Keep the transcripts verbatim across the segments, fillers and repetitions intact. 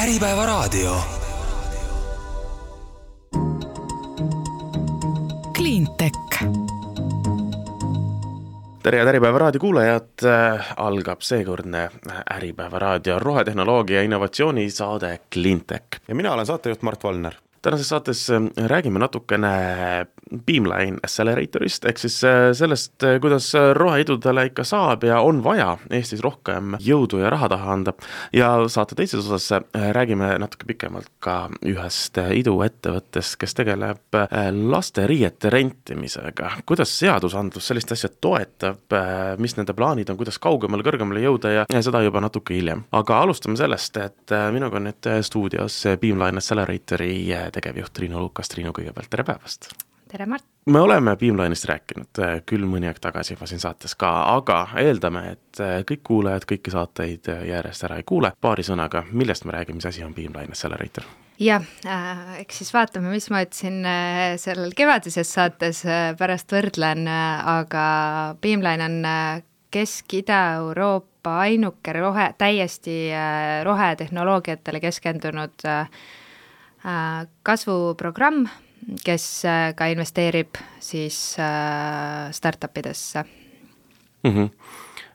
Äripäeva raadio. Cleantech. Tere ja Äripäeva raadio kuulajad, algab seekordne Äripäeva raadio rohetehnoloogia ja innovatsiooni saade Cleantech. Ja mina olen saatejuht Mart Valner. Tänases saates räägime natukene Beamline Acceleratorist, ehk siis sellest, kuidas roheidudele ikka saab ja on vaja Eestis rohkem jõudu ja raha taha anda. Ja saate teises osas räägime natuke pikemalt ka ühest iduettevõttest, kes tegeleb laste riiete rentimisega. Kuidas seadusandlus sellist asja toetab, mis nende plaanid on, kuidas kaugemale, kõrgemale jõuda ja seda juba natuke hiljem. Aga alustame sellest, et minuga on nüüd stuudios Beamline Acceleratori tegevjuht Triinu Lukas. Triinu, kõigepealt tere päevast! Tere, Mart! Me oleme Beamline'ist rääkinud küll mõni aeg tagasi juba siin saates ka, aga eeldame, et kõik kuulajad kõiki saateid järjest ära ei kuule. Paari sõnaga, millest me räägime, mis asi on Beamline Accelerator? Jah, äh, eks siis vaatame, mis ma ütlesin äh, sellel kevadises saates äh, pärast võrdlen, äh, aga Beamline on äh, Kesk-Ida-Euroopa ainuke rohe, täiesti äh, rohetehnoloogiatele keskendunud äh, kasvuprogramm, kes ka investeerib siis startupidesse. Mm-hmm.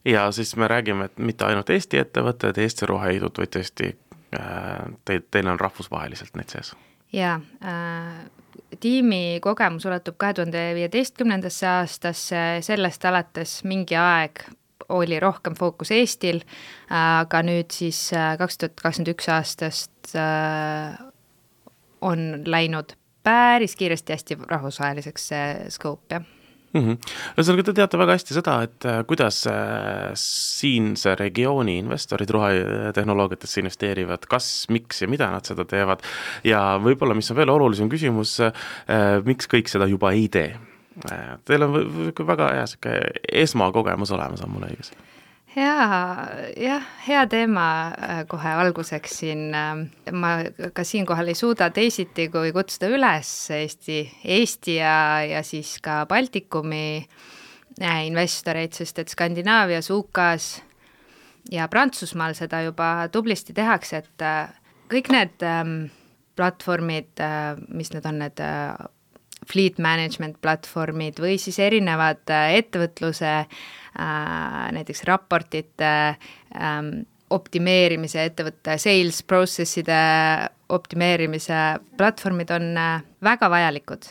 Ja siis me räägime, et mitte ainult Eesti ettevõtted, Eesti roheidud, vaid tõesti te, teil on rahvusvaheliselt need sees. Jaa, tiimi kogemus ulatub kahe tuhande viieteistkümnendasse aastasse, sellest alates mingi aeg oli rohkem fookus Eestil, aga nüüd siis kaks tuhat kakskümmend üks aastast on läinud päris kiiresti hästi rahvusvaheliseks skoop, jah. Mm-hmm. Ühesõnaga, te teate väga hästi seda, et kuidas siinse regiooni investorid rohetehnoloogiatesse investeerivad, kas, miks ja mida nad seda teevad ja võib-olla, mis on veel olulisem küsimus, miks kõik seda juba ei tee. Teil on väga hea esmakogemus olemas, on mulle õigus. Jaa, jah, hea teema kohe alguseks siin. Ma ka siinkohal ei suuda teisiti, kui kutsuda üles Eesti, Eesti ja, ja siis ka Baltikumi investoreid, sest et Skandinaavias, U K-s ja Prantsusmaal seda juba tublisti tehakse, et kõik need platvormid, mis need on, need fleet management platvormid või siis erinevad ettevõtluse näiteks raportite optimeerimise ettevõtte, sales processide optimeerimise platvormid on väga vajalikud.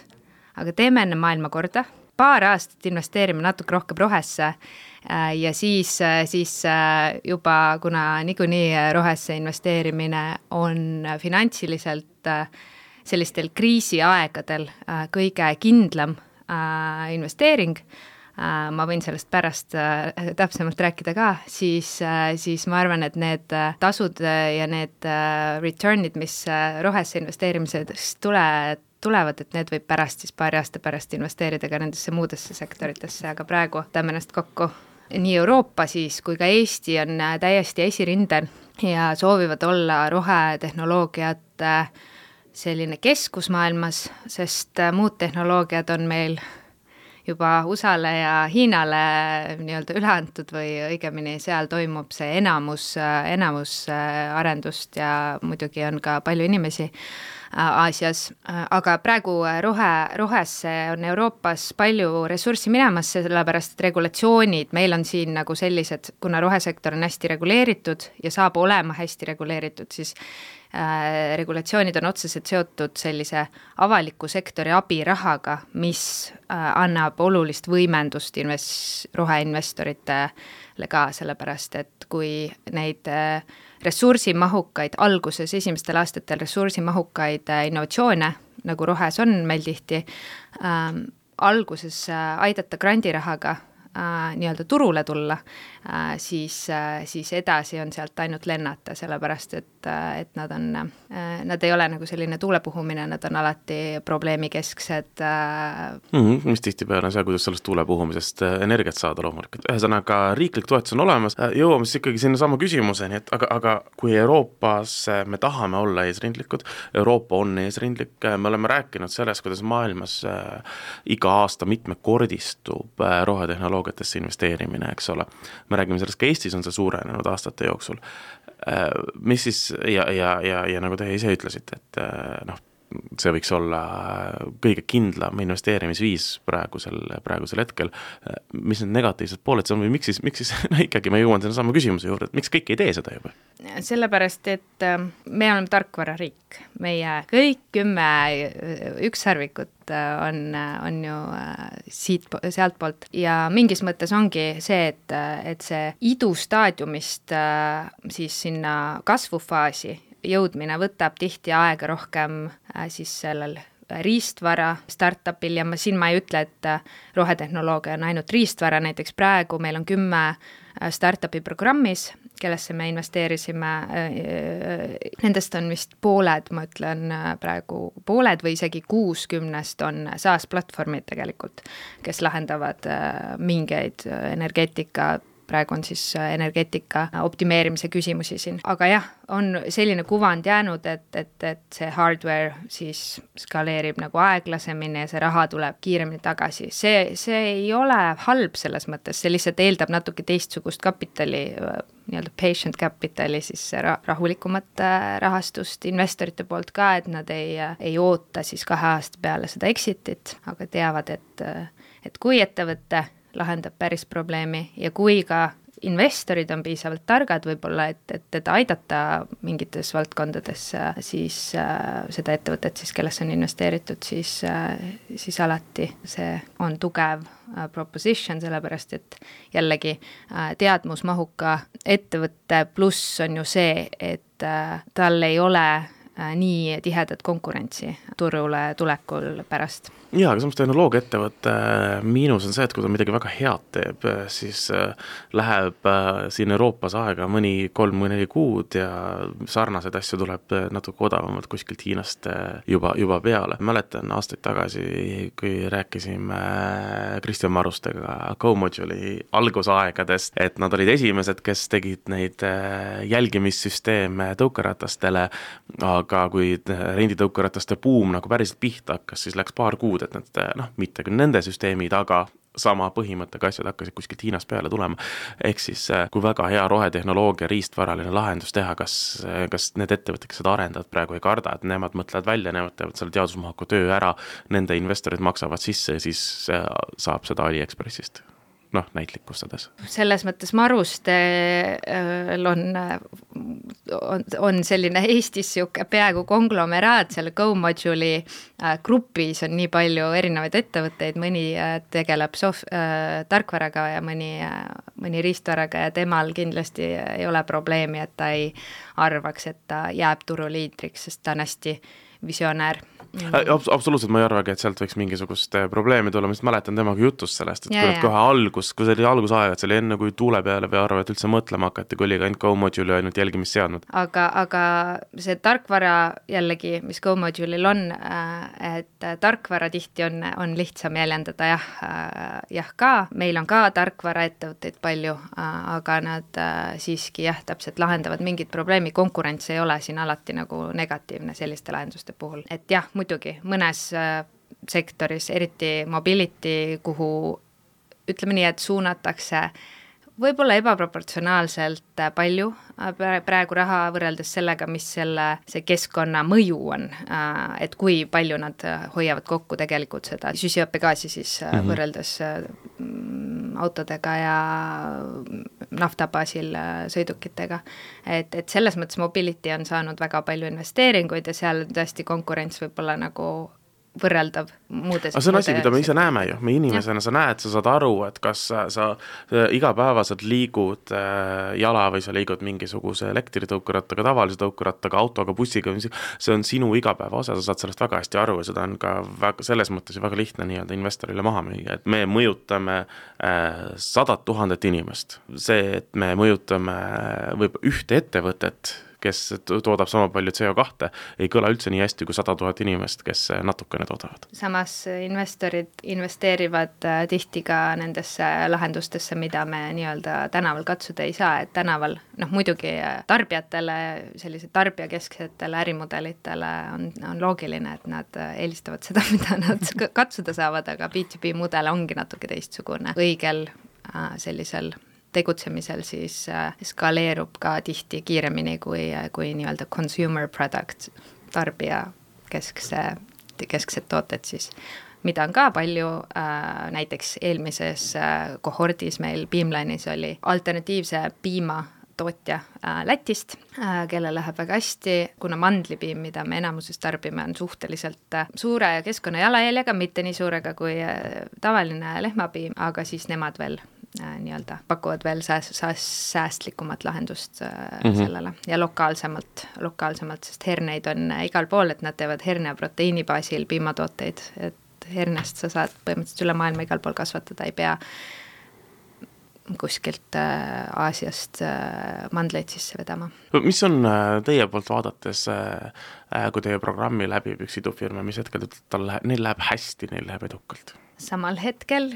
Aga teeme enne maailma korda, paar aastat investeerime natuke rohkem rohesse ja siis, siis juba, kuna niikuinii rohesse investeerimine on finantsiliselt sellistel kriisiaegadel kõige kindlam investeering, ma võin sellest pärast täpsemalt rääkida ka, siis, siis ma arvan, et need tasud ja need returnid, mis rohesse investeerimisest tule, tulevad, et need võib pärast siis paari aasta pärast investeerida ka nendesse muudesse sektoritesse, aga praegu tämme ennast kokku. Nii Euroopa siis kui ka Eesti on täiesti esirindel ja soovivad olla rohetehnoloogiat selline keskusmaailmas, sest muud tehnoloogiad on meil juba U S A-le ja Hiinale nii-öelda üle antud või õigemini seal toimub see enamus, enamus arendust ja muidugi on ka palju inimesi Aasias, aga praegu rohe, rohesse on Euroopas palju ressurssi minemas, sellepärast et regulatsioonid meil on siin nagu sellised, kuna rohesektor on hästi reguleeritud ja saab olema hästi reguleeritud, siis äh, regulatsioonid on otseselt seotud sellise avaliku sektori abirahaga, mis äh, annab olulist võimendust invest- roheinvestoritele ka, sellepärast et kui neid äh, ressursimahukaid, alguses esimestel aastatel ressursimahukaid innovatsioone, nagu rohes on meil tihti, ähm, alguses aidata grandirahaga äh, nii-öelda turule tulla, äh, siis, äh, siis edasi on sealt ainult lennata, sellepärast et, äh, et nad on, äh, nad ei ole nagu selline tuulepuhumine, nad on alati probleemikesksed. Äh... Mm-hmm, mis tihtipeale on see, kuidas sellest tuulepuhumisest energiat saada loomulikult. Ühesõnaga, riiklik toetus on olemas, jõuame siis ikkagi sinna sama küsimuseni, et aga, aga kui Euroopas me tahame olla eesrindlikud, Euroopa on eesrindlik, me oleme rääkinud sellest, kuidas maailmas äh, iga aasta mitmekordistub äh, rohetehnoloogiatesse investeerimine, eks ole. Me räägime sellest, ka Eestis on see suurenenud aastate jooksul. mis siis, ja, ja, ja, ja nagu te ise ütlesite, et noh, see võiks olla kõige kindlam investeerimisviis praegusel, praegusel hetkel. Mis need negatiivsed pooled see on või miks siis, miks siis no ikkagi ma jõuan selle sama küsimuse juurde, et miks kõik ei tee seda juba? Sellepärast, et me oleme tarkvarariik. Meie kõik kümme ükssarvikut on, on ju siit, sealt poolt ja mingis mõttes ongi see, et, et see idustaadiumist siis sinna kasvufaasi jõudmine võtab tihti aega rohkem äh, siis sellel riistvara startupil ja ma siin ma ei ütle, et rohetehnoloogia on ainult riistvara, näiteks praegu meil on kümme startupi programmis, kellesse me investeerisime, nendest on vist pooled, ma ütlen praegu pooled või isegi kuuskümnest on SaaS-platvormid tegelikult, kes lahendavad mingeid energeetika praegu on siis energeetika optimeerimise küsimusi siin. Aga jah, on selline kuvand jäänud, et, et, et see hardware siis skaleerib nagu aeglasemini ja see raha tuleb kiiremini tagasi. See, see ei ole halb selles mõttes, see lihtsalt eeldab natuke teistsugust kapitali, nii-öelda patient capitali, siis rahulikumat rahastust investorite poolt ka, et nad ei, ei oota siis kahe aasta peale seda exitit, aga teavad, et, et kui ettevõtte lahendab päris probleemi ja kui ka investorid on piisavalt targad võib-olla, et, et teda aidata mingites valdkondades, siis äh, seda ettevõtet, siis, kellesse on investeeritud, siis, äh, siis alati see on tugev äh, proposition, sellepärast et jällegi äh, teadmusmahuka ettevõtte pluss on ju see, et äh, tal ei ole äh, nii tihedat konkurentsi turule tulekul pärast. Jaa, aga samas tehnoloogia ettevõtte miinus on see, et kui ta midagi väga head teeb, siis läheb siin Euroopas aega mõni kolm või neli kuud ja sarnaseid asju tuleb natuke odavamalt kuskilt Hiinast juba, juba peale. Mäletan aastaid tagasi, kui rääkisime Kristjan Marustega GoModule'i algusaegadest, et nad olid esimesed, kes tegid neid jälgimissüsteeme tõukeratastele, aga kui renditõukerataste buum nagu päriselt pihta hakkas, siis läks paar kuud, et need, noh, mitte küll nende süsteemid, aga sama põhimõttega asjad hakkasid kuskilt Hiinast peale tulema. Ehk siis, kui väga hea rohetehnoloogia riistvaraline lahendus teha, kas, kas need ettevõtted, kes seda arendavad praegu ei karda, et nemad mõtlevad välja, nemad teevad selle teadusmahuka töö ära, nende investorid maksavad sisse ja siis saab seda AliExpressist. Noh, näitlikustades. Selles mõttes Marustel on, on, on selline Eestis siuke peaaegu konglomeraat, selle GoModule'i grupis on nii palju erinevaid ettevõtteid, mõni tegeleb sof-, äh, tarkvaraga ja mõni, mõni riistvaraga ja temal kindlasti ei ole probleemi, et ta ei arvaks, et ta jääb turuliidriks, sest ta on hästi visionäär. Abs- absoluutselt ma ei arvagi, et sealt võiks mingisugust probleemi tulla, ma mäletan temaga jutust sellest, et ja, kui ja. kohe algus, kui see oli algusaega, et see oli enne, kui tuule peale või arva, et üldse mõtlema hakati, kui oli ka ainult GoModule'i ainult jälgimist seadnud. Aga, aga see tarkvara jällegi, mis GoModule'il on, et tarkvara tihti on, on lihtsam jäljendada jah, jah ka, meil on ka tarkvara ettevõtteid palju, aga nad siiski jah, täpselt lahendavad mingit probleemi, konkurents ei ole siin alati nagu negatiivne selliste lahenduste puhul, et jah, muidugi mõnes sektoris, eriti mobility, kuhu ütleme nii, et suunatakse võib-olla ebaproportsionaalselt palju praegu raha võrreldes sellega, mis selle, see keskkonna mõju on, et kui palju nad hoiavad kokku tegelikult seda süsihappegaasi siis mm-hmm. võrreldes autodega ja naftabaasil sõidukitega. Et, et selles mõttes mobility on saanud väga palju investeeringuid ja seal tõesti konkurents võib-olla nagu võrreldav muudes. Aga see on asi, mida me ise näeme ju, me inimesena sa näed, sa saad aru, et kas sa, sa igapäevaselt liigud jala või sa liigud mingisuguse elektritõukerattaga, tavalise tõukerattaga, autoga, bussiga, see on sinu igapäeva osa, sa saad sellest väga hästi aru ja seda on ka väga, selles mõttes väga lihtne nii-öelda investorile maha müüa, et me mõjutame sadat tuhandet inimest. See, et me mõjutame võib ühte ettevõtet, kes toodab sama palju C O kahte, ei kõla üldse nii hästi kui sada tuhat inimest, kes natukene toodavad. Samas investorid investeerivad tihti ka nendesse lahendustesse, mida me nii-öelda tänaval katsuda ei saa, et tänaval, noh muidugi tarbijatele, sellise tarbijakesksetele ärimudelitele on, on loogiline, et nad eelistavad seda, mida nad katsuda saavad, aga B two B mudel ongi natuke teistsugune õigel sellisel tegutsemisel siis skaleerub ka tihti kiiremini kui, kui nii-öelda consumer product, tarbija keskse, kesksed tooted siis, mida on ka palju, näiteks eelmises kohordis meil Beamline'is oli alternatiivse piima tootja Lätist, kelle läheb väga hästi, kuna mandlipiim, mida me enamuses tarbime, on suhteliselt suure keskkonna jalajäljega, mitte nii suurega kui tavaline lehmapiim, aga siis nemad veel nii-öelda pakuvad veel sääst, sääst, säästlikumat lahendust mm-hmm. sellele ja lokaalsemalt, lokaalsemalt, sest herneid on igal pool, et nad teevad herne proteiini baasil piimatooteid, et hernest sa saad põhimõtteliselt üle maailma igal pool kasvatada, ei pea kuskilt Aasiast mandleid sisse vedama. Mis on teie poolt vaadates, kui teie programmi läbib üks idufirma, mis hetkel tal läheb, neil läheb hästi, neil läheb edukalt? Samal hetkel,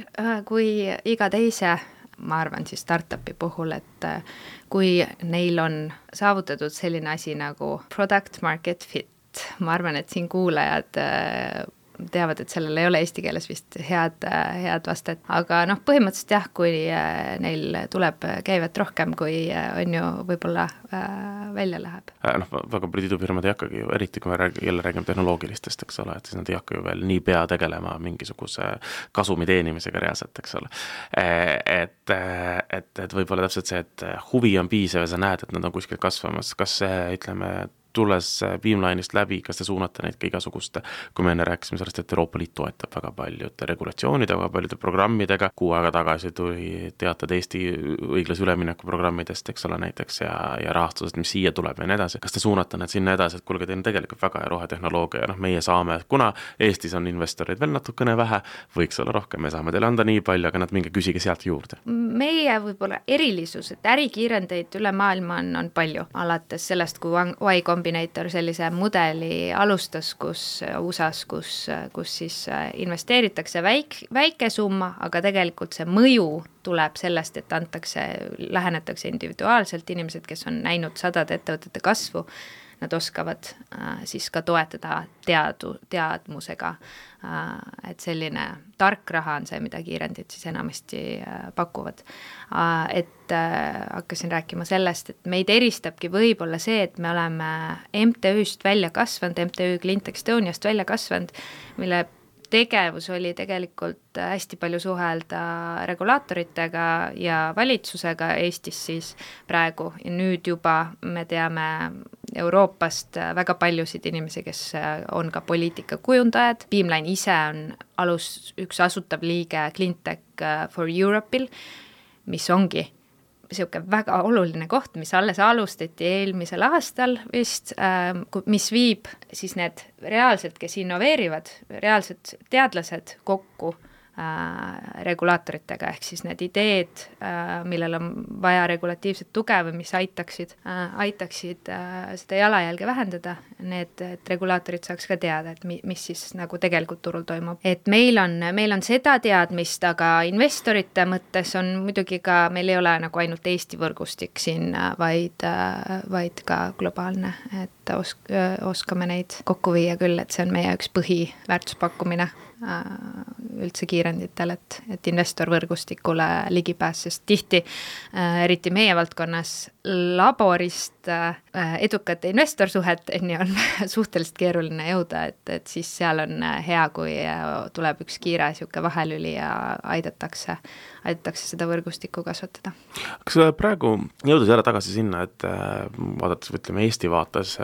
kui iga teise, ma arvan siis startupi puhul, et kui neil on saavutatud selline asi nagu product market fit, ma arvan, et siin kuulajad teavad, et sellel ei ole eesti keeles vist head, head vastet, aga noh, põhimõtteliselt jah, kui neil tuleb käivet rohkem, kui on ju võib-olla välja läheb. Noh, väga paljud idufirmad ei hakkagi ju, eriti kui me rääg, jälle räägime tehnoloogilistest, eks ole, et siis nad ei hakka ju veel nii pea tegelema mingisuguse kasumi teenimisega reaalselt, eks ole. Et, et, et võib-olla täpselt see, et huvi on piisav ja sa näed, et nad on kuskil kasvamas, kas see, ütleme, tulles Beamline'ist läbi, kas te suunate neid ka igasuguste, kui me enne rääkisime sellest, et Euroopa Liit toetab väga paljude regulatsioonide, väga paljude programmidega, kuu aega tagasi tuli teated Eesti õiglase ülemineku programmidest, eks ole, näiteks ja, ja rahastusest, mis siia tuleb ja nii edasi. Kas te suunate need sinna edasi, et kulge, teil on tegelikult väga hea rohetehnoloogia ja noh, meie saame, kuna Eestis on investoreid veel natukene vähe, võiks olla rohkem, me saame teile anda nii palju, aga nad minge küsige sealt juurde. Meie võib-olla erilisus, et ärikiirendeid üle maailma on, on palju, alates sellest, kui Y Combinator sellise mudeli alustas, kus U S A-s, kus, kus siis investeeritakse väik, väike summa, aga tegelikult see mõju tuleb sellest, et antakse, lähenetakse individuaalselt inimesed, kes on näinud sadade ettevõtete kasvu, nad oskavad äh, siis ka toetada teadu, teadmusega, äh, et selline tark raha on see, mida kiirendid siis enamasti äh, pakuvad. Äh, et äh, hakkasin rääkima sellest, et meid eristabki võib-olla see, et me oleme M T Ü-st välja kasvanud, M T Ü Cleantech Estoniast välja kasvanud, mille tegevus oli tegelikult hästi palju suhelda regulaatoritega ja valitsusega Eestis siis praegu ja nüüd juba me teame Euroopast väga paljusid inimesi, kes on ka poliitikakujundajad. Beamline ise on alus, üks asutav liige Cleantech for Europe'il, mis ongi siuke väga oluline koht, mis alles alustati eelmisel aastal vist, mis viib siis need reaalselt, kes innoveerivad, reaalsed teadlased kokku regulaatoritega, ehk siis need ideed, millel on vaja regulatiivset tuge või mis aitaksid, aitaksid seda jalajälge vähendada, need, et regulaatorid saaks ka teada, et mis siis nagu tegelikult turul toimub. Et meil on, meil on seda teadmist, aga investorite mõttes on muidugi ka, meil ei ole nagu ainult Eesti võrgustik siin, vaid, vaid ka globaalne, et osk, oskame neid kokku viia küll, et see on meie üks põhiväärtuspakkumine üldse kiirenditel, et, et investorvõrgustikule ligipääs, sest tihti, eriti meie valdkonnas laborist edukate investorsuhet on suhteliselt keeruline jõuda, et, et siis seal on hea, kui tuleb üks kiire siuke vahelüli ja aidatakse, aidatakse seda võrgustikku kasvatada. Kas praegu jõudes jälle tagasi sinna, et vaadates, ütleme Eesti vaates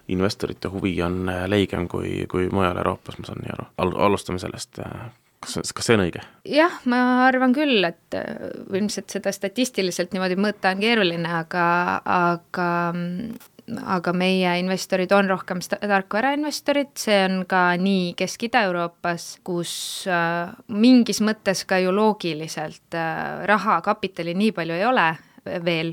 investorite huvi on leigem kui, kui mujal Euroopas, ma saan nii aru. Al- alustame sellest, kas, kas see on õige? Jah, ma arvan küll, et ilmselt seda statistiliselt niimoodi mõõta on keeruline, aga, aga, aga meie investorid on rohkem tarkvarainvestorid, see on ka nii Kesk-Ida-Euroopas, kus mingis mõttes ka ju loogiliselt raha, kapitali nii palju ei ole veel,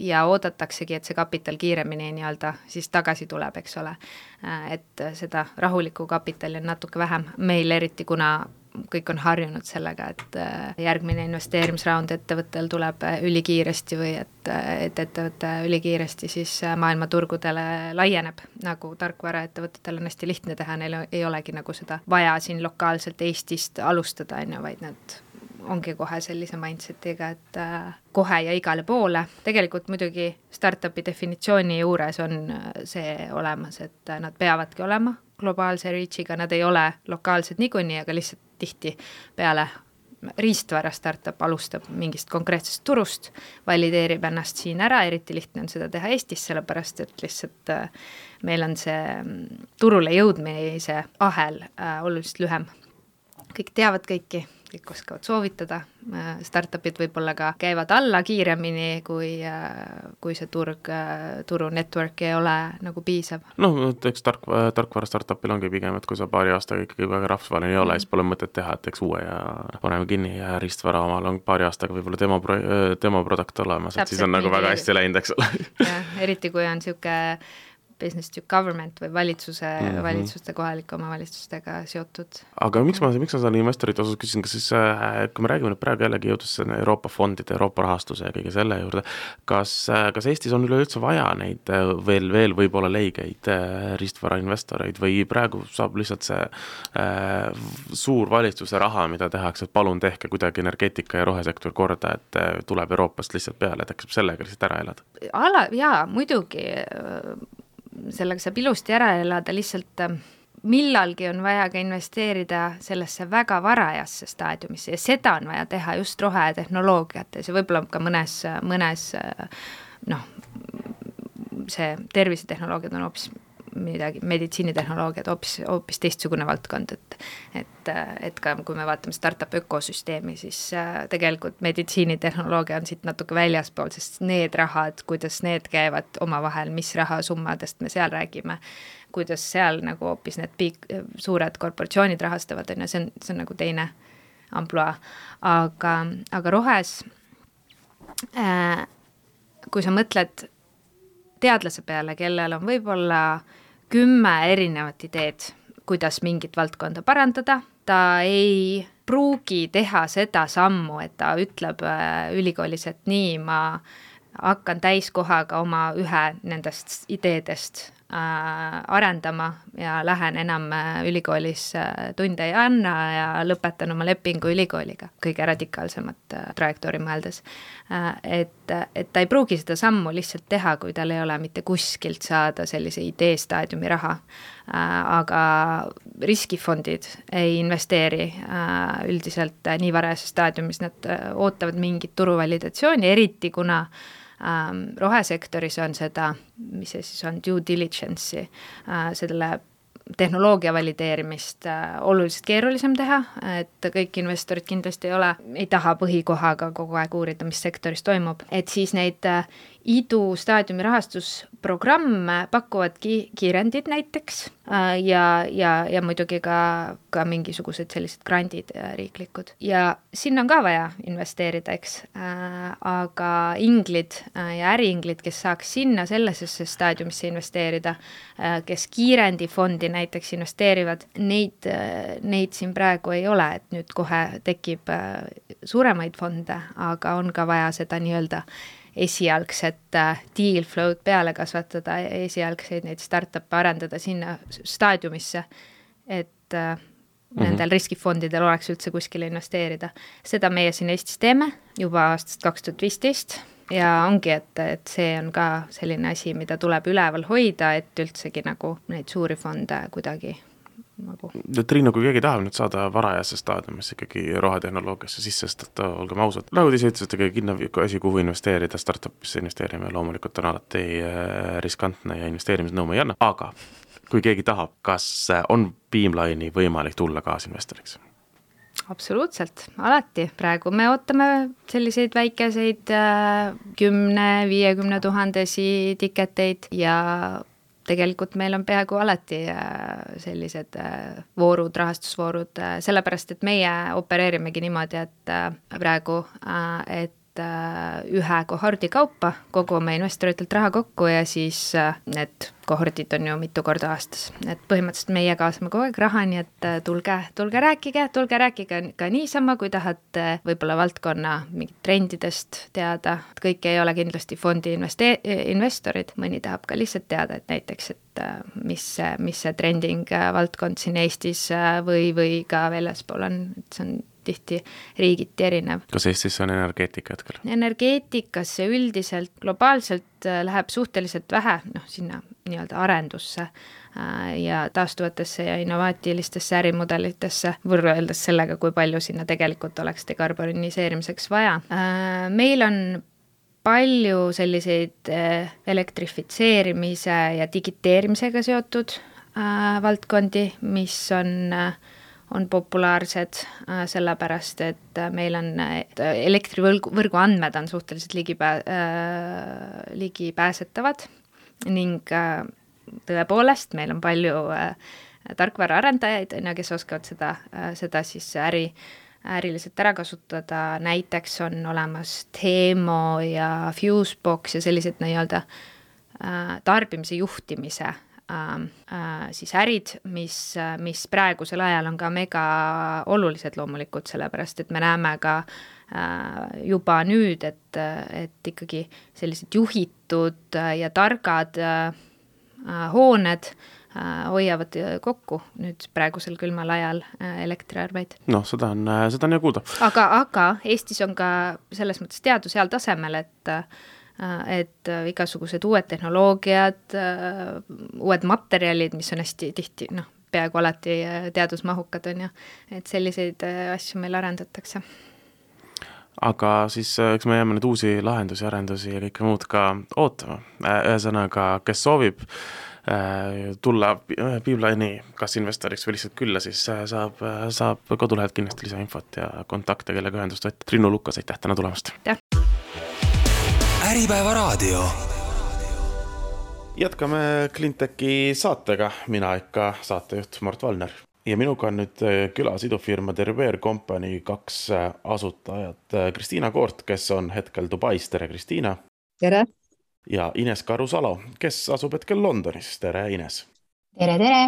ja oodataksegi, et see kapital kiiremini nii-öelda siis tagasi tuleb, eks ole. Et seda rahulikku kapitali on natuke vähem meil eriti, kuna kõik on harjunud sellega, et järgmine investeerimisraund ettevõttel tuleb ülikiiresti või et, et ettevõte ülikiiresti siis maailmaturgudele laieneb, nagu tarkvara ettevõtetel on hästi lihtne teha, neil ei olegi nagu seda vaja siin lokaalselt Eestist alustada, vaid nad ongi kohe sellise mindsetiga, et kohe ja igale poole. Tegelikult muidugi startupi definitsiooni juures on see olemas, et nad peavadki olema globaalse reachiga, nad ei ole lokaalsed niikuinii, aga lihtsalt tihti peale riistvara startup alustab mingist konkreetsest turust, valideerib ennast siin ära, eriti lihtne on seda teha Eestis, sellepärast et lihtsalt meil on see turule jõudmise ahel oluliselt lühem. Kõik teavad kõiki, kõik oskavad soovitada, startupid võib-olla ka käivad alla kiiremini, kui, kui see turg, turu network ei ole nagu piisav. No, eks tark, tarkvara startupil ongi pigem, et kui sa paari aastaga ikkagi väga rahvusvaheline ei ole, siis pole mõtet teha, et eks uue ja paneme kinni ja riistvara omal on paari aastaga võib-olla demo, demo product olemas, et siis on nagu väga hästi läinud, eks ole. Ja, eriti kui on siuke business to government või valitsuse, mm-hmm. valitsuste, kohalike omavalitsustega seotud. Aga miks ma, miks ma seda investorite osas küsin, kas siis, kui me räägime nüüd praegu jällegi jõudus Euroopa fondide, Euroopa rahastuse ja kõige selle juurde, kas, kas Eestis on üleüldse vaja neid veel, veel võib-olla leigeid riistvara investoreid või praegu saab lihtsalt see äh, suur valitsuse raha, mida tehakse, et palun tehke kuidagi energeetika ja rohesektor korda, et tuleb Euroopast lihtsalt peale, et äkki sellega lihtsalt ära elada? Ala, jaa, muidugi sellega saab ilusti ära elada, lihtsalt millalgi on vaja ka investeerida sellesse väga varajasse staadiumisse ja seda on vaja teha just rohetehnoloogiates ja võib-olla ka mõnes, mõnes noh, see tervisetehnoloogiad on hoopis midagi, meditsiinitehnoloogiad hoopis, hoopis teistsugune valdkond, et, et, et ka kui me vaatame startup ökosüsteemi, siis tegelikult meditsiinitehnoloogia on siit natuke väljaspool, sest need rahad, kuidas need käivad omavahel, mis rahasummadest me seal räägime, kuidas seal nagu hoopis need piik, suured korporatsioonid rahastavad, on, see on, see on nagu teine amploa, aga, aga rohes, äh, kui sa mõtled teadlase peale, kellel on võib-olla kümme erinevat ideed, kuidas mingit valdkonda parandada, ta ei pruugi teha seda sammu, et ta ütleb ülikoolis, et nii, ma hakkan täiskohaga oma ühe nendest ideedest äh, arendama ja lähen enam ülikoolis tunde ei anna ja lõpetan oma lepingu ülikooliga, kõige radikaalsemat äh, trajektoori mõeldes. Äh, et, et ta ei pruugi seda sammu lihtsalt teha, kui tal ei ole mitte kuskilt saada sellise idee staadiumi raha. Äh, aga riskifondid ei investeeri äh, üldiselt äh, nii varajases staadiumis, nad äh, ootavad mingit turuvalidatsiooni, eriti kuna Ähm, rohesektoris on seda, mis see siis on, due diligence'i, äh, selle tehnoloogia valideerimist äh, oluliselt keerulisem teha, et kõik investorid kindlasti ei ole, ei taha põhikohaga kogu aeg uurida, mis sektoris toimub, et siis neid äh, idu staadiumi rahastusprogramme pakuvad ki- kiirendid näiteks äh, ja, ja, ja muidugi ka, ka mingisugused sellised grandid äh, riiklikud. Ja sinna on ka vaja investeerida, eks, äh, aga inglid äh, ja äriinglid, kes saaks sinna sellesesse staadiumisse investeerida, äh, kes kiirendifondi näiteks investeerivad, neid, äh, neid siin praegu ei ole, et nüüd kohe tekib äh, suuremaid fonde, aga on ka vaja seda nii-öelda esialgset deal flow'd peale kasvatada, esialgseid neid startup'e arendada sinna staadiumisse, et mm-hmm. nendel riskifondidel oleks üldse kuskile investeerida. Seda meie siin Eestis teeme juba aastast kaks tuhat viisteist ja ongi, et, et see on ka selline asi, mida tuleb üleval hoida, et üldsegi nagu neid suuri fonde kuidagi nagu. Triinu, kui keegi tahab nüüd saada varajasse staadiumisse ikkagi rohetehnoloogiasse sisse, sest olgem ausad, nagu te ise ütlesite, kõige kinna asi, kuhu investeerida, startupisse investeerime, loomulikult on alati riskantne ja investeerimisnõu ei anna, aga kui keegi tahab, kas on Beamline'i võimalik tulla kaasinvestoriks? Absoluutselt, alati. Praegu me ootame selliseid väikeseid kümne, viiekümne tuhandesi tiketeid ja tegelikult meil on peaaegu alati sellised voorud, rahastusvoorud, sellepärast, et meie opereerimegi niimoodi, et praegu, et ühe kohordi kaupa kogume investoritelt raha kokku ja siis need kohordid on ju mitu korda aastas. Et põhimõtteliselt meie kaasame kogu aeg raha, nii et tulge, tulge rääkige, tulge rääkige ka niisama, kui tahate võib-olla valdkonna mingit trendidest teada. Kõik ei ole kindlasti fondi investe- investorid, mõni tahab ka lihtsalt teada, et näiteks, et mis, mis see trending valdkond siin Eestis või, või ka väljaspool on, et see on tihti riigiti erinev. Kas Eestis on energeetika hetkel? Energeetikasse üldiselt globaalselt läheb suhteliselt vähe, noh, sinna nii-öelda arendusse ja taastuvatesse ja innovaatilistesse ärimudelitesse, võrreldes sellega, kui palju sinna tegelikult oleks dekarboniseerimiseks vaja. Meil on palju selliseid elektrifitseerimise ja digiteerimisega seotud valdkondi, mis on on populaarsed sellepärast, et meil on elektrivõrgu võrgu andmed on suhteliselt ligipää, ligipääsetavad ning tõepoolest meil on palju tarkvaraarendajaid, kes oskavad seda, seda siis äri, äriliselt ära kasutada, näiteks on olemas Teemo ja Fusebox ja sellised nii-öelda tarbimise juhtimise siis ärid, mis, mis praegusel ajal on ka mega olulised loomulikult, sellepärast et me näeme ka juba nüüd, et, et ikkagi sellised juhitud ja targad hooned hoiavad kokku nüüd praegusel külmal ajal elektriarveid. No, seda on, seda on ju kuulda. Aga, aga Eestis on ka selles mõttes teadus heal tasemel, et et igasugused uued tehnoloogiad, uued materjalid, mis on hästi tihti, noh, peaaegu alati teadusmahukad on ju, et selliseid asju meil arendatakse. Aga siis eks me jääme nüüd uusi lahendusi, arendusi ja kõike muud ka ootama. Ühesõnaga, kes soovib tulla Beamline'i kas investoriks või lihtsalt külla, siis saab, saab kodulehelt kindlasti lisainfot ja kontakte, kellega ühendust võtta. Triinu Lukas, aitäh täna tulemast! Aitäh! Äripäeva raadio. Jätkame Cleantechi saatega, mina ikka saatejuht Mart Valner. Ja minuga on nüüd külas idufirma Derivere Company kaks asutajat. Kristiina Koort, kes on hetkel Dubais. Tere, Kristiina! Tere! Ja Ines Karusalo, kes asub hetkel Londonis. Tere, Ines! Tere, tere!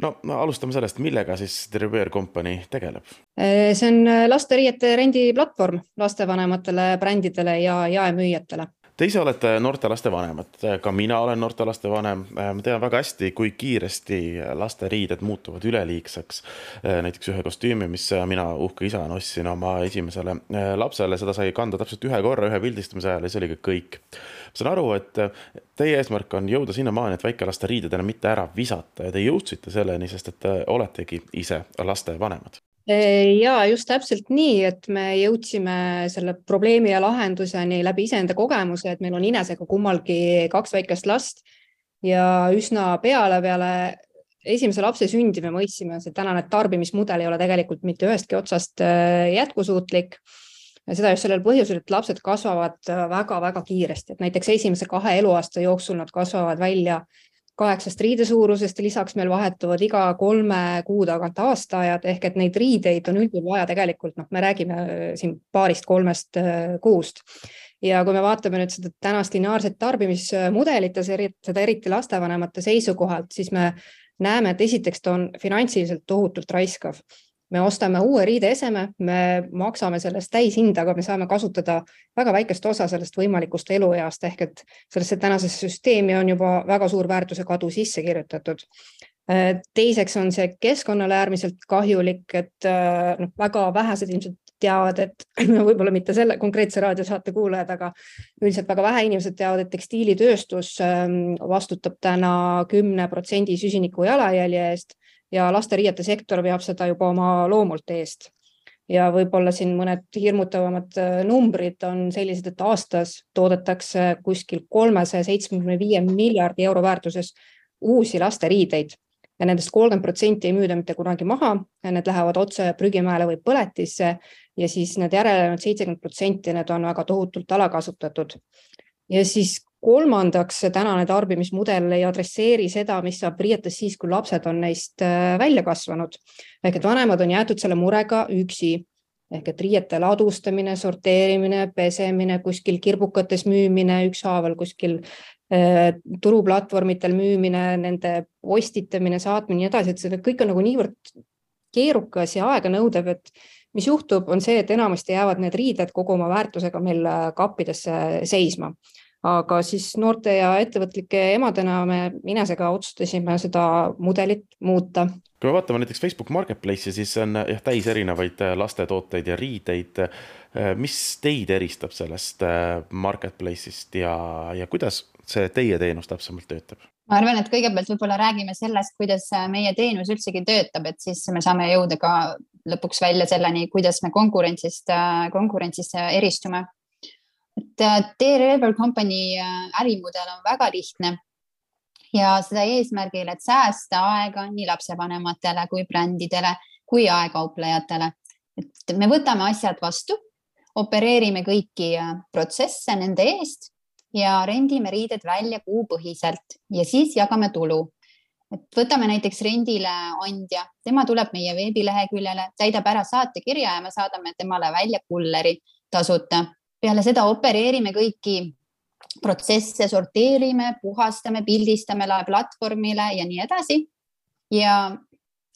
No, alustame sellest, millega siis Derivere Company tegeleb? See on lasteriiete rendiplatvorm lastevanematele, brändidele ja jaemüüjatele. Te ise olete noorte laste vanemad, ka mina olen noorte laste vanem. Ma tean väga hästi, kui kiiresti laste riided muutuvad üleliigseks. Näiteks ühe kostüümi, mis mina uhke isa ostsin oma esimesele lapsele, seda sai kanda täpselt ühe korra, ühe pildistamise ajal ja see oli kõik. Ma saan aru, et teie eesmärk on jõuda sinna maani, et väikelaste riided enam mitte ära visata ja te jõudsite selleni, sest et te oletegi ise laste vanemad. Ja just täpselt nii, et me jõudsime selle probleemi ja lahenduseni läbi iseenda kogemuse, et meil on Inesega kummalgi kaks väikest last ja üsna peale peale esimese lapse sündi me mõistsime, et tänane tarbimismudel ei ole tegelikult mitte ühestki otsast jätkusuutlik. Ja seda just sellel põhjusel, et lapsed kasvavad väga-väga kiiresti, et näiteks esimese kahe eluaasta jooksul nad kasvavad välja kaheksast riidesuurusest ja lisaks meil vahetuvad iga kolme kuu tagant aastaajad, ehk et neid riideid on üldjuhul vaja tegelikult, noh, me räägime siin paarist kolmest kuust. Ja kui me vaatame nüüd seda tänast lineaarset tarbimismudelit ja seda eriti lastevanemate seisukohalt, siis me näeme, et esiteks ta on finantsiliselt tohutult raiskav. Me ostame uue riideeseme, me maksame sellest täishinda, aga me saame kasutada väga väikest osa sellest võimalikust elueast, ehk et sellesse tänasesse süsteemi on juba väga suur väärtuse kadu sisse kirjutatud. Teiseks on see keskkonnale äärmiselt kahjulik, et no, väga vähesed ilmselt teavad, et võib-olla mitte selle konkreetse raadiosaate kuulajad, aga üldiselt väga vähe inimesed teavad, et tekstiilitööstus vastutab täna kümne protsendi süsiniku jalajälje eest ja lasteriiete sektor veab seda juba oma loomult eest. Ja võib-olla siin mõned hirmutavamad numbrid on sellised, et aastas toodetakse kuskil kolmesaja seitsmekümne viie miljardi euro väärtuses uusi lasteriideid. Ja nendest kolmkümmend protsenti ei müüda mitte kunagi maha, need lähevad otse prügimäele või põletisse ja siis need järelenud seitsekümmend protsenti need on väga tohutult alakasutatud. Ja siis kolmandaks, tänane tarbimismudel ei adresseeri seda, mis saab riietes siis, kui lapsed on neist välja kasvanud. Ehk et vanemad on jäetud selle murega üksi. Ehk et riiete ladustamine, sorteerimine, pesemine, kuskil kirbukates müümine, ükshaaval kuskil eh, turuplatvormitel müümine, nende postitamine, saatmine ja edasi, et see kõik on nagu niivõrd keerukas ja aega nõudev, et mis juhtub, on see, et enamasti jäävad need riided kogu oma väärtusega meil kappidesse seisma. aga siis noorte ja ettevõtlike emadena me Inesega otsustasime seda mudelit muuta. Kui me vaatame näiteks Facebook Marketplace'i, siis on jah, täis erinevaid lastetooteid ja riideid. Mis teid eristab sellest Marketplace'ist ja, ja kuidas see teie teenus täpsemalt töötab? Ma arvan, et kõigepealt võib-olla räägime sellest, kuidas meie teenus üldsegi töötab, et siis me saame jõuda ka lõpuks välja selleni, kuidas me konkurentsist, konkurentsist eristume. Et T-Rever Company ärimudel on väga lihtne. Ja seda eesmärgil, et säästa aega nii lapsevanematele kui brändidele kui aegauplejatele. Et me võtame asjad vastu, opereerime kõiki protsesse nende eest ja rendime riided välja kuupõhiselt ja siis jagame tulu. Et võtame näiteks rendile andja, tema tuleb meie veebileheküljele, täidab ära saatekirja ja me saadame temale välja kulleri tasuta. Peale seda opereerime kõiki protsesse, sorteerime, puhastame, pildistame platvormile ja nii edasi. Ja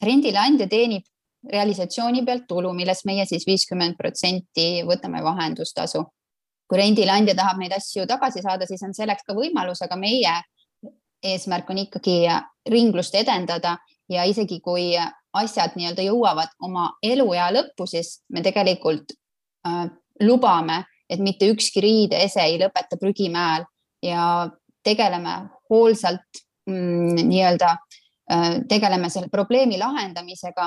rendile andja teenib realisatsiooni pealt tulu, millest meie siis viiskümmend protsenti võtame vahendustasu. Kui rendile andja tahab neid asju tagasi saada, siis on selleks ka võimalus, aga meie eesmärk on ikkagi ringlust edendada ja isegi kui asjad nii-öelda jõuavad oma eluea lõppu, siis me tegelikult äh, lubame, et mitte ükski riideese ei lõpeta prügimäel ja tegeleme hoolsalt mm, nii-öelda tegeleme selle probleemi lahendamisega,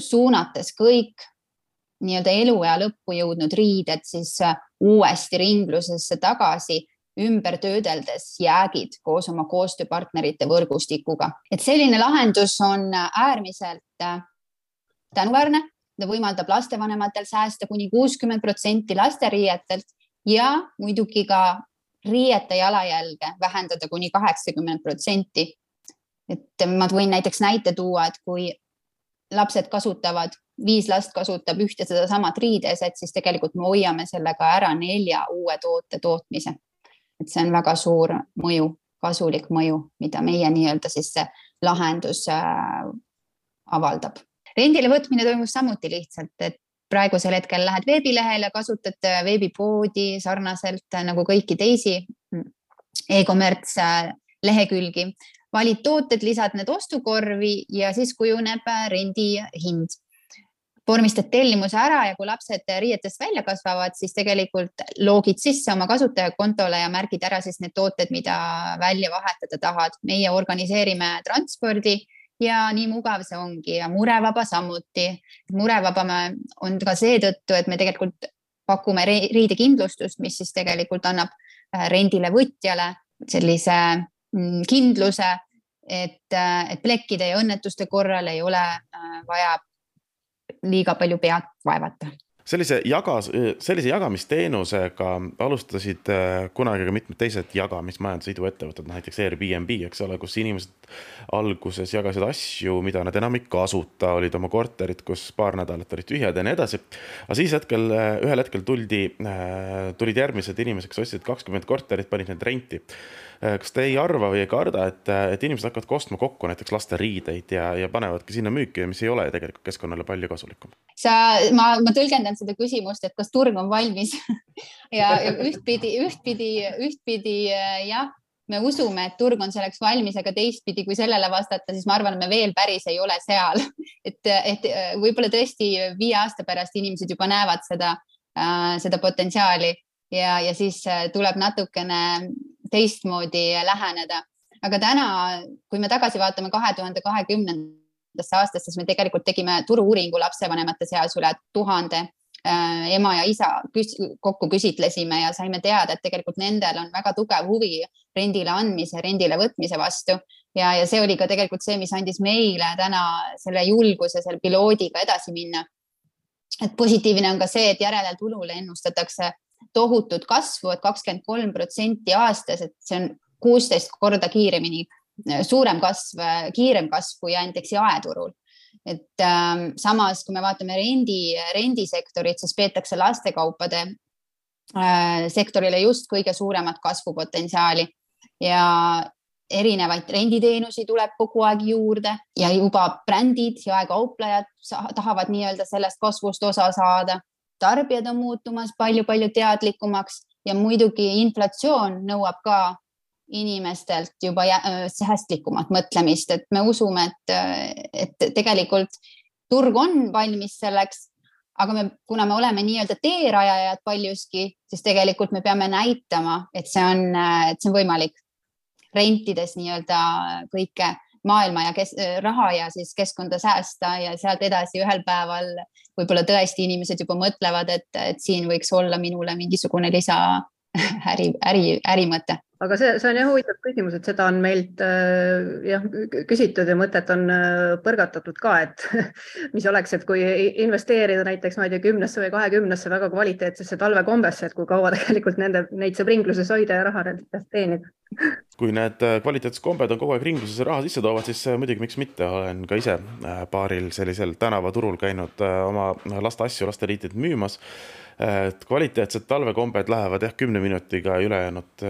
suunates kõik nii-öelda eluea lõppu jõudnud riided siis uuesti ringlusesse tagasi, ümber töödeldes jäägid koos oma koostööpartnerite võrgustikuga. Et selline lahendus on äärmiselt tänuväärne. Ta võimaldab lastevanematel säästa kuni kuuskümmend protsenti lasteriietelt ja muidugi ka riiete jalajälge vähendada kuni kaheksakümmend protsenti. Et ma võin näiteks näite tuua, et kui lapsed kasutavad, viis last kasutab ühte seda samat riideset, siis tegelikult me hoiame sellega ära nelja uue toote tootmise. Et see on väga suur mõju, kasulik mõju, mida meie nii-öelda siis see lahendus avaldab. Rendile võtmine toimus samuti lihtsalt, et praegusel hetkel lähed veebilehele, kasutad veebipoodi sarnaselt nagu kõiki teisi e-commerce lehekülgi, valid tooted, lisad need ostukorvi ja siis kujuneb rendi hind. Vormistad tellimuse ära ja kui lapsed riietest välja kasvavad, siis tegelikult loogid sisse oma kasutajakontole ja märgid ära siis need tooted, mida välja vahetada tahad. Meie organiseerime transpordi ja nii mugav see ongi ja murevaba samuti. Murevaba on ka seetõttu, et me tegelikult pakume riidekindlustust, mis siis tegelikult annab rendile võtjale sellise kindluse, et, et plekkide ja õnnetuste korral ei ole vaja liiga palju pead vaevata. Sellise, jagas, sellise jagamisteenusega alustasid kunagi ka mitmed teised jagamismajanduse ettevõtted, näiteks Airbnb, eks ole, kus inimesed alguses jagasid asju, mida nad enam ei kasuta, olid oma korterid, kus paar nädalat olid tühjad ja nii edasi. Aga siis hetkel, ühel hetkel tuldi, tulid järgmised inimesed, kes ostsid kakskümmend korterit, panid need renti. Kas te ei arva või ei karda, et, et inimesed hakkavad kostma kokku näiteks laste riideid ja, ja panevadki sinna müüki, mis ei ole tegelikult keskkonnale palju kasulikum? Sa, ma, ma tõlgendan seda küsimust, et kas turg on valmis ja, ja ühtpidi, ühtpidi, ühtpidi jah, me usume, et turg on selleks valmis, aga teistpidi, kui sellele vastata, siis ma arvan, et me veel päris ei ole seal. Et, et võib-olla tõesti viie aasta pärast inimesed juba näevad seda, äh, seda potentsiaali ja, ja siis tuleb natukene teistmoodi läheneda. Aga täna, kui me tagasi vaatame kahe tuhande kahekümnendasse aastast, siis me tegelikult tegime turu-uuringu lapsevanemate seas üle tuhande äh, ema ja isa küs, kokku küsitlesime ja saime teada, et tegelikult nendel on väga tugev huvi rendile andmise, rendile võtmise vastu. Ja, ja see oli ka tegelikult see, mis andis meile täna selle julguse selle piloodiga edasi minna. Et positiivne on ka see, et järele tulule ennustatakse tohutut kasvu, et kakskümmend kolm protsenti aastas, et see on kuusteist korda kiiremini, suurem kasv, kiirem kasv kui näiteks jaeturul. Et ähm, samas, kui me vaatame rendi, rendisektorit, siis peetakse lastekaupade äh, sektorile just kõige suuremat kasvupotentsiaali ja erinevaid renditeenusi tuleb kogu aeg juurde ja juba brändid ja aegauplejad tahavad nii-öelda sellest kasvust osa saada. Tarbijad on muutumas palju-palju teadlikumaks ja muidugi inflatsioon nõuab ka inimestelt juba säästlikumat mõtlemist, et me usume, et, et tegelikult turg on valmis selleks, aga me, kuna me oleme nii-öelda teerajajad paljuski, siis tegelikult me peame näitama, et see on, et see on võimalik rentides nii-öelda kõike maailma ja kes, raha ja siis keskkonda säästa ja sealt edasi ühel päeval võib-olla tõesti inimesed juba mõtlevad, et, et siin võiks olla minule mingisugune lisa äri, äri, ärimõte. Aga see, see on jah huvitav küsimus, et seda on meilt jah, küsitud ja mõtet on põrgatatud ka, et mis oleks, et kui investeerida näiteks ma ei tea, kümnesse või kahekümnesse väga kvaliteetsesse talvekombesse, et kui kaua tegelikult nende, neid saab ringluses hoida ja raha nendest teenida. Kui need kvaliteetsed kombed on kogu aeg ringluses raha sisse toovad, siis muidugi miks mitte, olen ka ise paaril sellisel tänavaturul käinud oma laste asju, laste riitid müümas. Kvaliteetsed talvekombed lähevad jah kümne minutiga ülejäänud,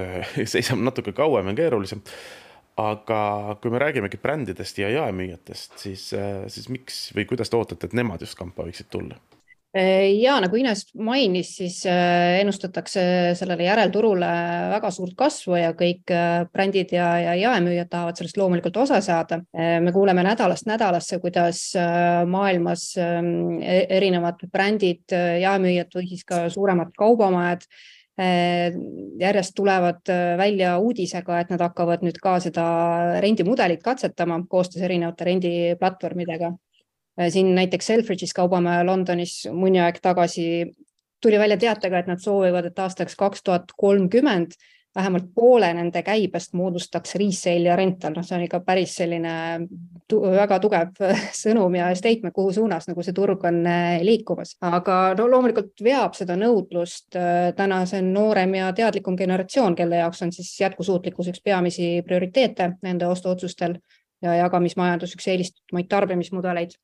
seisab natuke kauem ja keerulisem. Aga kui me räägimegi brändidest ja jaemüüjatest, siis, siis miks või kuidas te ootate, et nemad just kampa võiksid tulla? Ja nagu Ines mainis, siis ennustatakse sellele järelturule väga suurt kasvu ja kõik brändid ja, ja jaemüüjad tahavad sellest loomulikult osa saada. Me kuuleme nädalast nädalasse, kuidas maailmas erinevad brändid, jaemüüjad või siis ka suuremad kaubamajad järjest tulevad välja uudisega, et nad hakkavad nüüd ka seda rendimudelit katsetama koostöös erinevate rendiplatvormidega. Siin näiteks Selfridges kaubamaja Londonis mõni aeg tagasi tuli välja teatega, et nad soovivad, et aastaks kaks tuhat kolmkümmend vähemalt poole nende käibest moodustaks resale ja rental. No, see on ikka päris selline tu- väga tugev sõnum ja statement, kuhu suunas nagu see turg on liikumas. Aga no, loomulikult veab seda nõudlust täna see noorem ja teadlikum generatsioon, kelle jaoks on siis jätkusuutlikkus üks peamisi prioriteete nende ostuotsustel ja jagamismajandus üks eelistumaid tarbimismudeleid.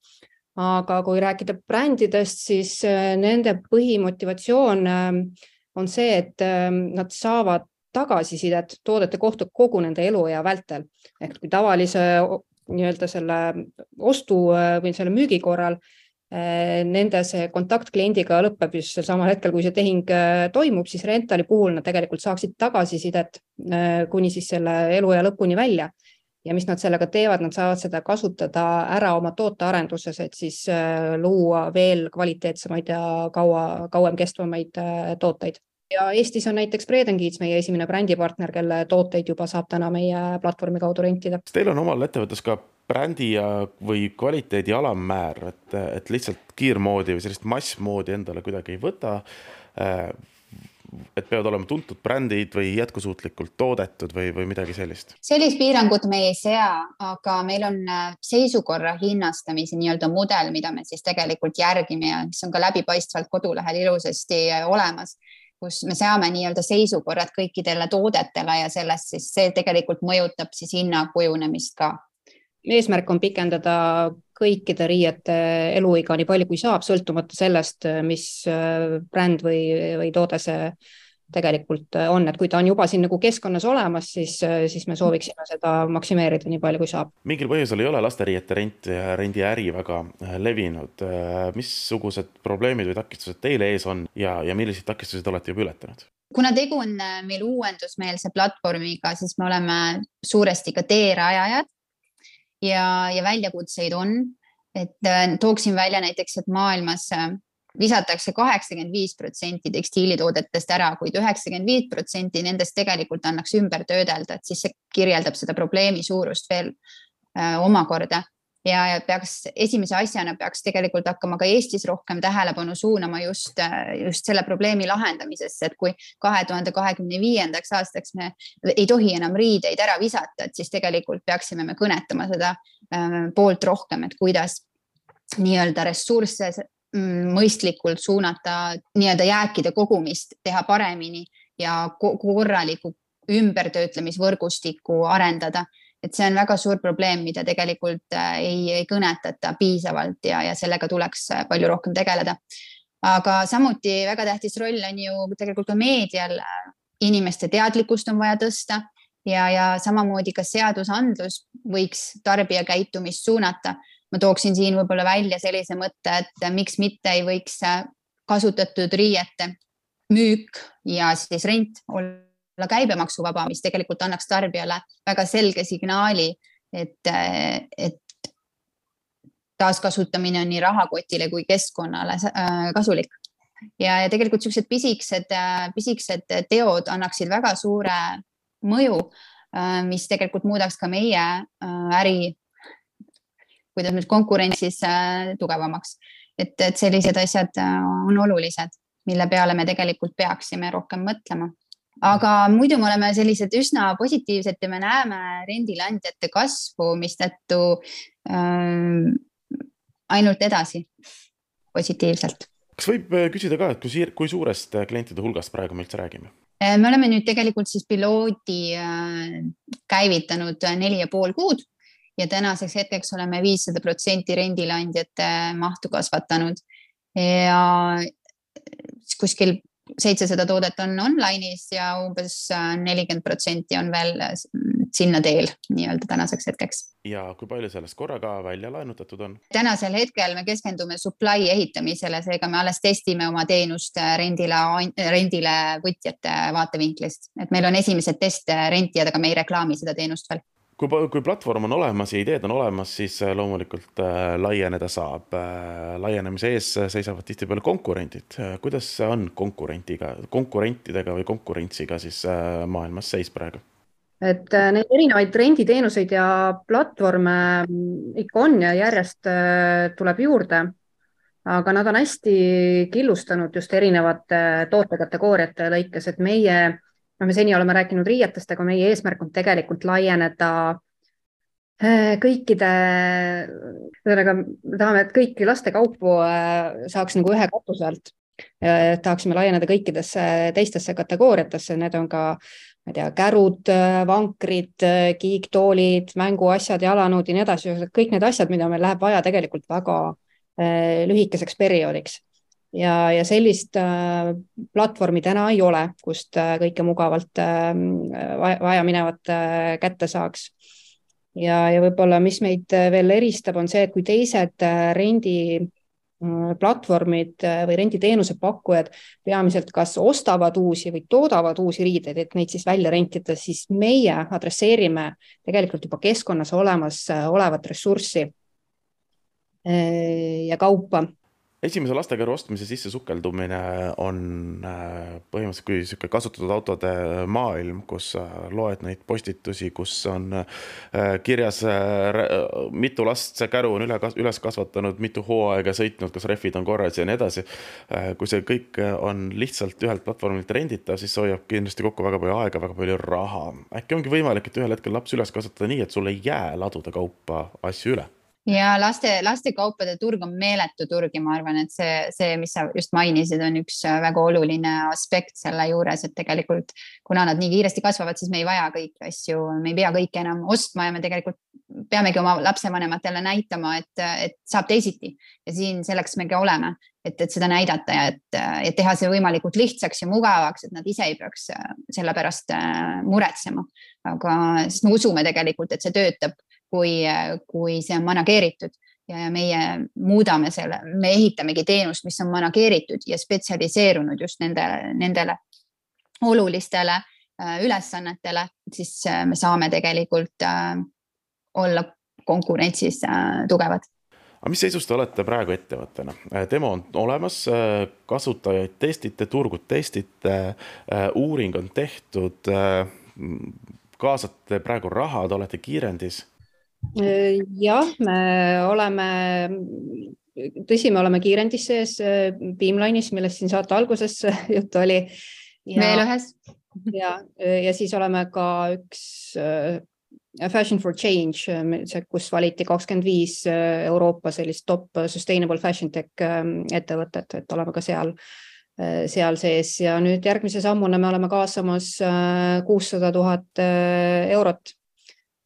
Aga kui rääkida brändidest, siis nende põhimotivatsioon on see, et nad saavad tagasisidet toodete kohta kogu nende eluea vältel. Ehk kui tavalise nii-öelda selle ostu või selle müügi korral nende see kontakt kliendiga lõpeb just samal hetkel, kui see tehing toimub, siis rentali puhul nad tegelikult saaksid tagasisidet kuni siis selle eluea lõpuni välja. Ja mis nad sellega teevad, nad saavad seda kasutada ära oma tootearenduses, et siis luua veel kvaliteetsemaid ja kaua, kauem kestvamaid tooteid. Ja Eestis on näiteks Bredenkids meie esimene brändipartner, kelle tooteid juba saab täna meie platvormi kaudu rentida. Teil on omal ettevõttes ka brändi ja või kvaliteedi alammäär, et, et lihtsalt kiirmoodi või sellist massmoodi endale kuidagi ei võta, et peavad olema tuntud brändid või jätkusuutlikult toodetud või, või midagi sellist? Sellist piirangut me ei sea, aga meil on seisukorra hinnastamise nii-öelda mudel, mida me siis tegelikult järgime ja mis on ka läbipaistvalt kodulehel ilusasti olemas, kus me seame nii-öelda seisukorrad kõikidele toodetele ja sellest siis see tegelikult mõjutab siis hinna kujunemist ka. Eesmärk on pikendada kõikide riiete eluiga nii palju kui saab, sõltumata sellest, mis bränd või, või toode see tegelikult on. Et kui ta on juba siin nagu keskkonnas olemas, siis, siis me sooviksime seda maksimeerida nii palju kui saab. Mingil põhjusel ei ole lasteriiete rent ja rendiäri väga levinud. Missugused probleemid või takistused teile ees on ja, ja millised takistused olete juba ületanud? Kuna tegu on meil uuendusmeelse platvormiga, siis me oleme suuresti ka teerajajad. Ja, ja väljakutseid on, et tooksin välja näiteks, et maailmas visatakse kaheksakümmend viis protsenti tekstiilitoodetest ära, kuid üheksakümmend viis protsenti nendest tegelikult annaks ümber töödelda, et siis see kirjeldab seda probleemi suurust veel äh, omakorda. Ja peaks, esimese asjana peaks tegelikult hakkama ka Eestis rohkem tähelepanu suunama just, just selle probleemi lahendamisesse, et kui kahe tuhande kahekümne viiendaks aastaks me ei tohi enam riideid ära visata, et siis tegelikult peaksime me kõnetama seda poolt rohkem, et kuidas nii-öelda ressursse mõistlikult suunata, nii-öelda jääkide kogumist teha paremini ja korraliku ümbertöötlemisvõrgustiku arendada. Et see on väga suur probleem, mida tegelikult ei, ei kõnetata piisavalt ja, ja sellega tuleks palju rohkem tegeleda. Aga samuti väga tähtis roll on ju tegelikult ka meedial. Inimeste teadlikkust on vaja tõsta ja, ja samamoodi ka seadusandlus võiks tarbija käitumist suunata. Ma tooksin siin võib-olla välja sellise mõtte, et miks mitte ei võiks kasutatud riiete müük ja siis rent olla käibemaksuvaba, mis tegelikult annaks tarbijale väga selge signaali, et, et taaskasutamine on nii rahakotile kui keskkonnale kasulik. Ja, ja tegelikult sellised pisikesed, pisikesed teod annaksid väga suure mõju, mis tegelikult muudaks ka meie äri, kuidas nüüd konkurentsis tugevamaks. Et, et sellised asjad on olulised, mille peale me tegelikult peaksime rohkem mõtlema. Aga muidu me oleme sellised üsna positiivsed ja me näeme rendilandjate kasvu, mis tõttu äh, ainult edasi positiivselt. Kas võib küsida ka, et kui, siir, kui suurest klientide hulgast praegu me üldse räägime? Me oleme nüüd tegelikult siis piloodi käivitanud neli ja pool kuud ja tänaseks hetkeks oleme viissada protsenti rendilandjate mahtu kasvatanud ja kuskil seitsesada toodet on online'is ja umbes nelikümmend protsenti on veel sinna teel nii-öelda tänaseks hetkeks. Ja kui palju sellest korraga välja laenutatud on? Tänasel hetkel me keskendume supply ehitamisele, seega me alles testime oma teenust rendile, rendile võtjate vaatevinklist. Et meil on esimesed teste rentijad, aga me ei reklaami seda teenust veel. Kui, kui platvorm on olemas ja ideed on olemas, siis loomulikult äh, laieneda saab. Äh, laienemise ees seisavad tihti peale konkurendid. Kuidas see on konkurentiga, konkurentidega või konkurentsiga siis äh, maailmas seis praegu? Et neid erinevaid renditeenuseid ja platvorme ikka on ja järjest tuleb juurde, aga nad on hästi killustanud just erinevate tootekategooriate lõikes, et meie, no me seni oleme rääkinud riietest, aga meie eesmärk on tegelikult laieneda kõikide, me tahame, et kõiki lastekaupu saaks nagu ühe katuse alt. Tahaksime laieneda kõikidesse teistesse kategooriatesse, need on ka ma tea, kärud, vankrid, kiiktoolid, mänguasjad, jalanõud ja nii edasi. Kõik need asjad, mida meil läheb vaja tegelikult väga äh, lühikeseks perioodiks. Ja, ja sellist äh, platvormi täna ei ole, kust äh, kõike mugavalt äh, vaja minevat äh, kätte saaks. Ja, ja võib-olla, mis meid veel eristab, on see, et kui teised äh, rendi platvormid või renditeenuse pakkujad peamiselt kas ostavad uusi või toodavad uusi riideid, et neid siis välja rentida, siis meie adresseerime tegelikult juba keskkonnas olemas olevat ressurssi ja kaupa. Esimese lastekäru ostmise sisse sukeldumine on põhimõtteliselt kui siuke kasutatud autode maailm, kus loed neid postitusi, kus on kirjas mitu last see käru on üles kasvatanud, mitu hooaega sõitnud, kas refid on korras ja nii edasi. Kui see kõik on lihtsalt ühelt platvormilt renditav, siis hoiab kindlasti kokku väga palju aega, väga palju raha. Äkki ongi võimalik, et ühel hetkel laps üles kasvatada nii, et sul ei jää ladude kaupa asju üle? Ja laste, laste kaupade turg on meeletu turg ja ma arvan, et see, see, mis sa just mainisid, on üks väga oluline aspekt selle juures, et tegelikult kuna nad nii kiiresti kasvavad, siis me ei vaja kõiki asju, me ei pea kõike enam ostma ja me tegelikult peamegi oma lapsevanematele näitama, et, et saab teisiti ja siin selleks me ka oleme, et, et seda näidata ja et, et teha see võimalikult lihtsaks ja mugavaks, et nad ise ei peaks selle pärast muretsema, aga siis me usume tegelikult, et see töötab. Kui, kui see on manageeritud ja meie muudame selle, me ehitamegi teenust, mis on manageeritud ja spetsialiseerunud just nendele, nendele olulistele ülesannetele, siis me saame tegelikult olla konkurentsis tugevad. Aga mis seisus te olete praegu ettevõttena? Demo on olemas, kasutajaid testite, turgud testite, uuring on tehtud, kaasate praegu raha, te olete kiirendis? Jah, me oleme, tõsi, me oleme kiirendis sees Beamline'is, millest siin saate alguses juttu oli. Ja, veel ühes. Ja, ja siis oleme ka üks Fashion for Change, kus valiti kakskümmend viis Euroopa sellist top sustainable fashion tech ettevõtet, et oleme ka seal, seal sees. Ja nüüd järgmise sammuna me oleme kaasamas kuussada tuhat eurot.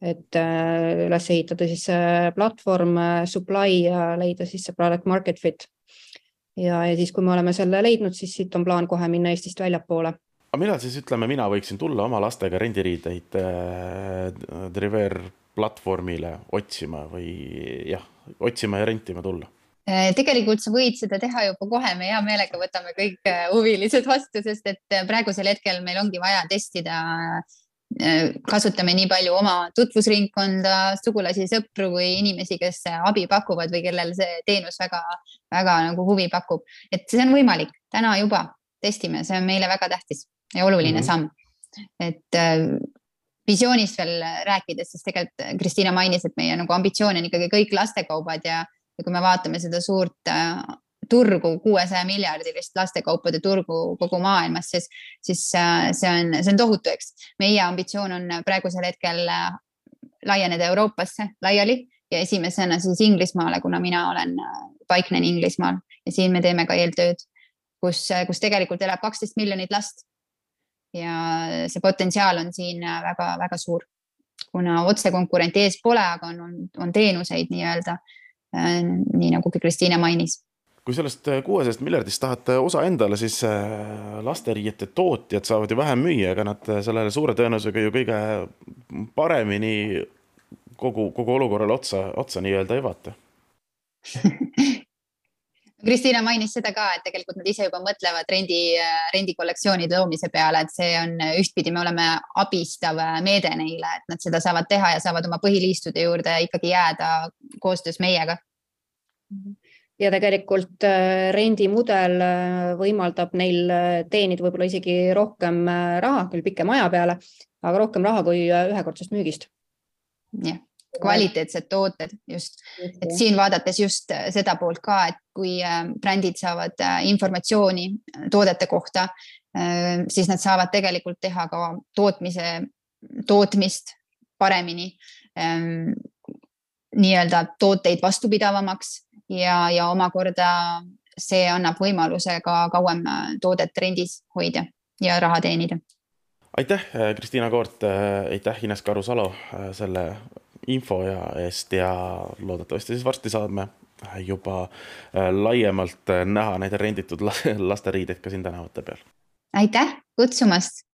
Et üles ehitada siis platvorm, supply ja leida siis see product market fit. Ja, ja siis, kui me oleme selle leidnud, siis siit on plaan kohe minna Eestist väljapoole. Aga millal siis ütleme, mina võiksin tulla oma lastega rendiriideid Driver platvormile otsima või jah, otsima ja rentima tulla? Tegelikult sa võid seda teha juba kohe, me hea meelega võtame kõik huvilised vastu, sest et praegusel hetkel meil ongi vaja testida. Kasutame nii palju oma tutvusringkonda, sugulasi, sõpru või inimesi, kes abi pakuvad või kellel see teenus väga, väga nagu huvi pakub. Et see on võimalik täna juba testime, see on meile väga tähtis ja oluline mm-hmm. samm. Et visioonist veel rääkides, siis tegelikult Kristiina mainis, et meie nagu ambitsioon on ikkagi kõik lastekaubad ja Ja kui me vaatame seda suurt turgu, kuuesaja miljardilist lastekaupade turgu kogu maailmas, siis, siis see on, see on tohutu, eks. Meie ambitsioon on praegusel hetkel laieneda Euroopasse laiali ja esimesena siis Inglismaale, kuna mina olen paiknen Inglismaal ja siin me teeme ka eeltööd, kus, kus tegelikult elab kaksteist miljonit last. Ja see potentsiaal on siin väga, väga suur, kuna otse konkurent ees pole, aga on, on, on teenuseid nii-öelda. Nii nagu Kristiina mainis. Kui sellest kuuesajast miljardist tahate osa endale, siis lasteriiete tootjad saavad ju vähem müüa, aga nad sellele suure tõenäosusega ju kõige paremini kogu, kogu olukorrale otsa, otsa nii-öelda ei vaata. Kristiina mainis seda ka, et tegelikult nad ise juba mõtlevad rendi, rendikollektsioonide loomise peale, et see on ühtpidi, me oleme abistav meede neile, et nad seda saavad teha ja saavad oma põhiliistude juurde ikkagi jääda koostöös meiega. Ja tegelikult rendimudel võimaldab neil teenida võib-olla isegi rohkem raha, küll pikem aja peale, aga rohkem raha kui ühekordsest müügist. Jah. Kvaliteetsed tooted just, et siin vaadates just seda poolt ka, et kui brändid saavad informatsiooni toodete kohta, siis nad saavad tegelikult teha ka tootmise, tootmist paremini, nii-öelda tooteid vastupidavamaks ja, ja omakorda see annab võimaluse ka kauem toodet rendis hoida ja raha teenida. Aitäh, Kristiina Koort, aitäh Ines Karu-Salo selle info ja eest ja loodetavasti siis varsti saame juba laiemalt näha neid renditud lasteriideid ka siin tänavate peal. Aitäh kutsumast!